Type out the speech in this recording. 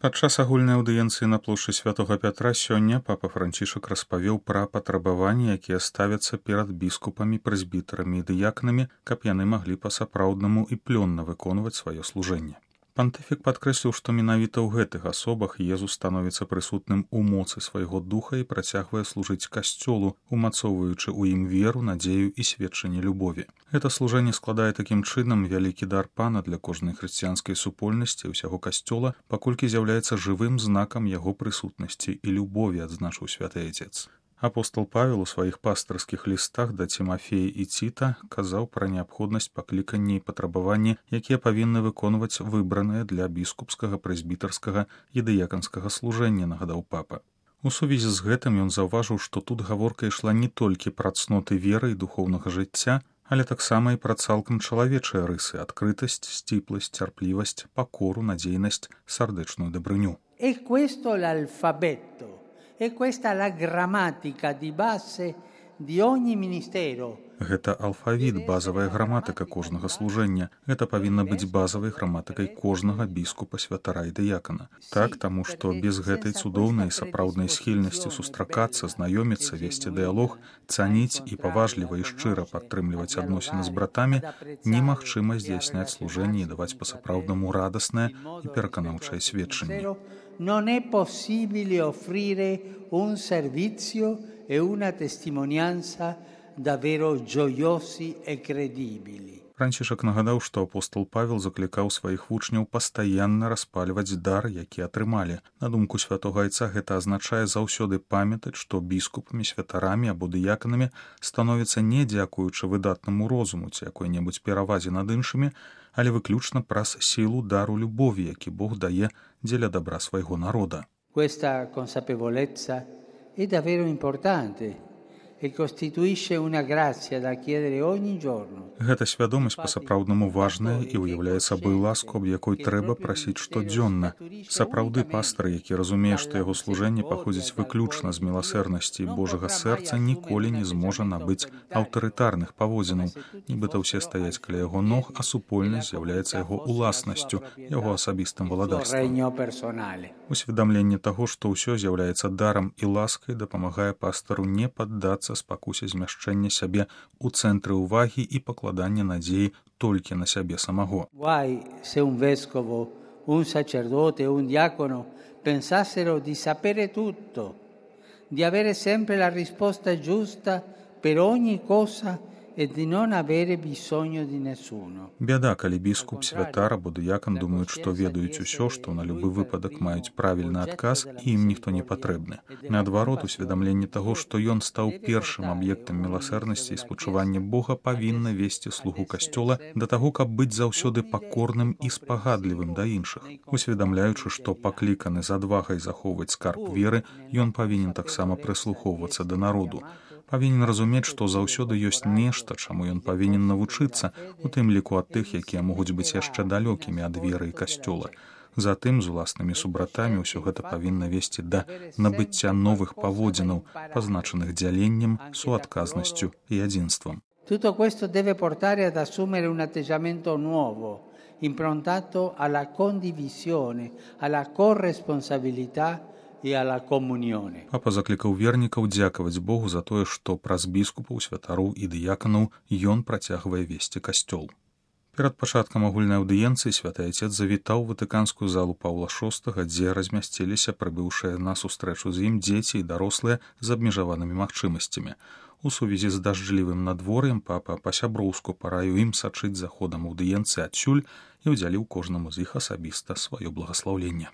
Падчас агульнай аўдыенцыі на плошчы святога Пятра сёння папа Францішак распавёў пра патрабаванні, якія ставяцца перад біскупамі, прэзбітарамі і дыякнамі, каб яны маглі па-сапраўднаму і плённа выконваць сваё служэнне. Пантыфік падкрэсліў, што менавіта ў гэтых асобах Езус становіцца прысутным у моцы свайго духа і працягвае служыць касцёлу, умацоўваючы ў ім веру, надзею і сведчанне любові. Гэта служэнне складае такім чынам вялікі дар Пана для кожнай хрысціянскай супольнасці ўсяго касцёла, паколькі з'яўляецца жывым знакам яго прысутнасці і любові, адзначыў святы Айцец. Апостол Павел у сваіх пастырскіх лістах да Цімафея і Ціта казаў пра неабходнасць паклікання і патрабаванні, якія павінны выконваць выбраныя для біскупскага, прэзбітарскага і дыяканскага служэння, нагадаў папа. У сувязі з гэтым ён заўважыў, што тут гаворка ішла не толькі пра цноты веры і духоўнага жыцця, але таксама і пра цалкам чалавечыя рысы, адкрытасць, сціпласць, цярплівасць, пакору, надзейнасць, сардэчную дабрыню. E questa è la grammatica di base di ogni ministero. Гэта алфавіт, базавая граматыка кожнага служэння. Гэта павінна быць базавай граматыкай кожнага біскупа, святара і дыякана. Так, таму што без гэтай цудоўнай сапраўднай схільнасці сустракацца, знаёміцца, весці дыялог, цаніць і паважліва і шчыра падтрымліваць адносіны з братамі, немагчыма здзяйсняць служэнне і даваць па-сапраўднаму радаснае і пераканаўчае сведчанне. Non è possibile offrire un servizio e una testimonianza davvero gioiosi e credibili. Францішак нагадаў, што апостол Павел заклікаў сваіх вучняў пастаянна распальваць дар, які атрымалі. На думку святога Айца, гэта азначае заўсёды памятаць, што біскупамі, святарамі або дыяканамі становіцца не дзякуючы выдатнаму розуму ці якой-небудзь перавазе над іншымі, але выключна праз сілу дару любові, які Бог дае дзеля добра свайго народа. Questa consapevolezza è davvero importante e costituisce una grazia da chiedere ogni giorno. Гэта свядомасць па-сапраўднаму важная і ўяўляе сабой ласку, аб якой трэба прасіць штодзённа. Сапраўды пастар, які разумее, што яго служэнне паходзіць выключна з міласэрнасці Божага сэрца, ніколі не зможа набыць аўтарытарных паводзінаў. Нібыта ўсе стаяць каля яго ног, а супольнасць з'яўляецца яго уласнасцю, яго асабістым валадарствам. Усведамленне таго, што ўсё з'яўляецца дарам і ласкай, дапамагае пастару не паддацца спакусе змяшчэння сябе ў цэнтры ўвагі і пакладання надзеі толькі на сябе самого. Guai se un vescovo, un sacerdote, un diacono pensassero di sapere tutto, di avere sempre la risposta giusta per ogni cosa e di non avere bisogno di nessuno. Бяда, калі біскуп, святар або дыякан думаюць, што ведаюць усё, што на любы выпадак маюць правільны адказ і ім ніхто не патрэбны. Наадварот, усведамленне таго, што ён стаў першым аб'ектам міласэрнасці і спачування Бога, павінна весці слугу касцёла да таго, каб быць заўсёды пакорным і спагадлівым да іншых. Усведамляючы, што пакліканы з адвагай захоўваць скарб веры, ён павінен таксама прыслухоўвацца да народу. Павінен разумець, што заўсёды ёсць нешта, чаму ён павінен навучыцца, у тым ліку ад тых, якія могуць быць яшчэ далёкімі ад веры і касцёла. Затым з уласнымі субратамі ўсё гэта павінна весці да набыцця новых паводзінаў, пазначаных дзяленнем, суадказнасцю і адзінствам. Tutto questo deve portare ad assumere un atteggiamento nuovo, improntato alla condivisione, alla corresponsabilità Папа заклікаў вернікаў дзякаваць Богу за тое, што праз біскупаў, святароў і дыяканаў ён працягвае весці касцёл. Перад пачаткам агульнай аўдыенцыі святы Айцец завітаў ватыканскую залу Паўла VI, дзе размясціліся прыбыўшыя на сустрэчу з ім дзеці і дарослыя з абмежаванымі магчымасцямі. У сувязі з дажджлівым надвор'ем папа па-сяброўску параіў ім сачыць за ходам аўдыенцыі адсюль і ўдзяліў кожнаму з іх асабіста сваё благаслаўленне.